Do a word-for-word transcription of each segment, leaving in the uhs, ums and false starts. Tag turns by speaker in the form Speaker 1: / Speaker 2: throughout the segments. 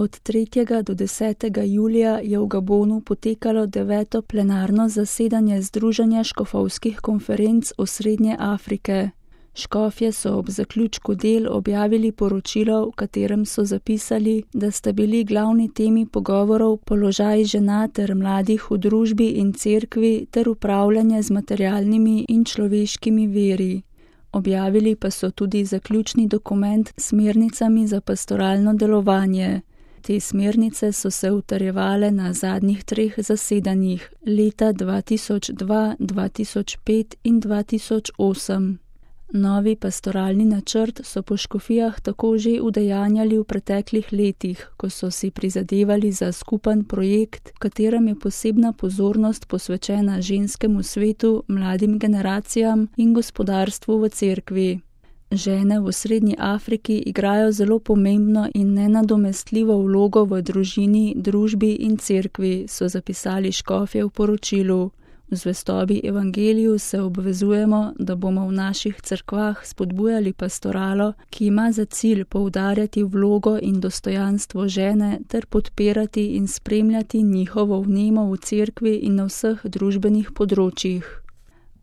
Speaker 1: Od tretjega do desetega julija je v Gabonu potekalo deveto plenarno zasedanje Združenja škofovskih konferenc Osrednje Afrike. Škofje so ob zaključku del objavili poročilo, v katerem so zapisali, da sta bili glavni temi pogovorov položaj žena ter mladih v družbi in cerkvi ter upravljanje z materialnimi in človeškimi viri. Objavili pa so tudi zaključni dokument s smernicami za pastoralno delovanje. Te smernice so se utrjevale na zadnjih treh zasedanjih leta dva tisoč dva, dva tisoč pet in dva tisoč osem. Novi pastoralni načrt so po škofijah tako že udejanjali v preteklih letih, ko so si prizadevali za skupen projekt, v katerem je posebna pozornost posvečena ženskemu svetu, mladim generacijam in gospodarstvu v cerkvi. Žene v Srednji Afriki igrajo zelo pomembno in nenadomestljivo vlogo v družini, družbi in cerkvi, so zapisali škofje v poročilu. V zvestobi evangeliju se obvezujemo, da bomo v naših cerkvah spodbujali pastoralo, ki ima za cilj poudarjati vlogo in dostojanstvo žene ter podpirati in spremljati njihovo vnemo v cerkvi in na vseh družbenih področjih.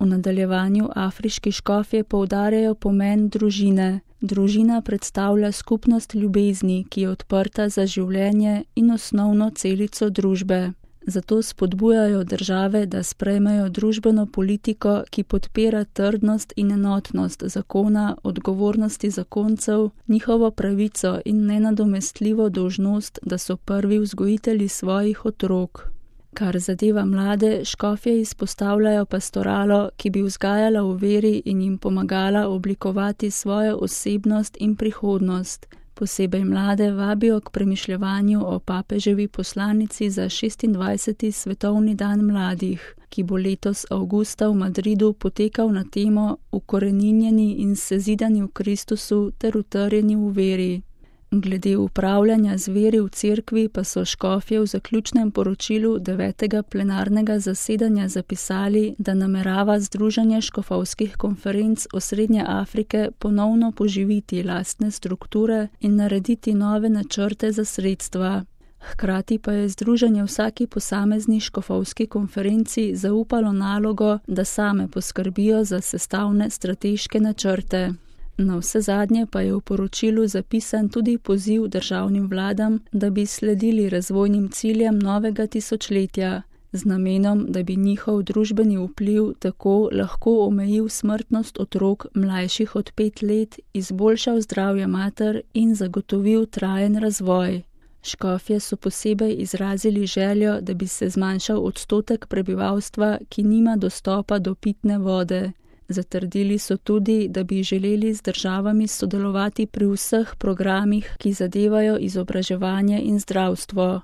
Speaker 1: V nadaljevanju afriški škofje poudarjajo pomen družine. Družina predstavlja skupnost ljubezni, ki je odprta za življenje in osnovno celico družbe. Zato spodbujajo države, da sprejmejo družbeno politiko, ki podpira trdnost in enotnost zakona, odgovornosti zakoncev, njihovo pravico in nenadomestljivo dolžnost, da so prvi vzgojitelji svojih otrok. Kar zadeva mlade, škofje izpostavljajo pastoralo, ki bi vzgajala v veri in jim pomagala oblikovati svojo osebnost in prihodnost. Posebej mlade vabijo k premišljevanju o papeževi poslanici za šestindvajseti svetovni dan mladih, ki bo letos avgusta v Madridu potekal na temo Ukoreninjeni in sezidani v Kristusu ter utrjeni v veri. Glede upravljanja z veri v cerkvi pa so škofje v zaključnem poročilu devetega plenarnega zasedanja zapisali, da namerava Združenje škofovskih konferenc Osrednje Afrike ponovno poživiti lastne strukture in narediti nove načrte za sredstva. Hkrati pa je združenje vsaki posamezni škofovski konferenci zaupalo nalogo, da same poskrbijo za sestavne strateške načrte. Navsezadnje pa je v poročilu zapisan tudi poziv državnim vladam, da bi sledili razvojnim ciljem novega tisočletja, z namenom, da bi njihov družbeni vpliv tako lahko omejil smrtnost otrok mlajših od pet let, izboljšal zdravje mater in zagotovil trajen razvoj. Škofje so posebej izrazili željo, da bi se zmanjšal odstotek prebivalstva, ki nima dostopa do pitne vode. Zatrdili so tudi, da bi želeli z državami sodelovati pri vseh programih, ki zadevajo izobraževanje in zdravstvo.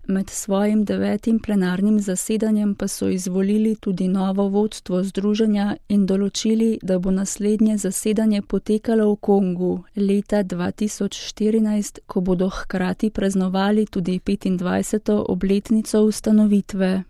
Speaker 1: Med svojim devetim plenarnim zasedanjem pa so izvolili tudi novo vodstvo združenja in določili, da bo naslednje zasedanje potekalo v Kongu leta dva tisoč štirinajst, ko bodo hkrati praznovali tudi petindvajseto obletnico ustanovitve.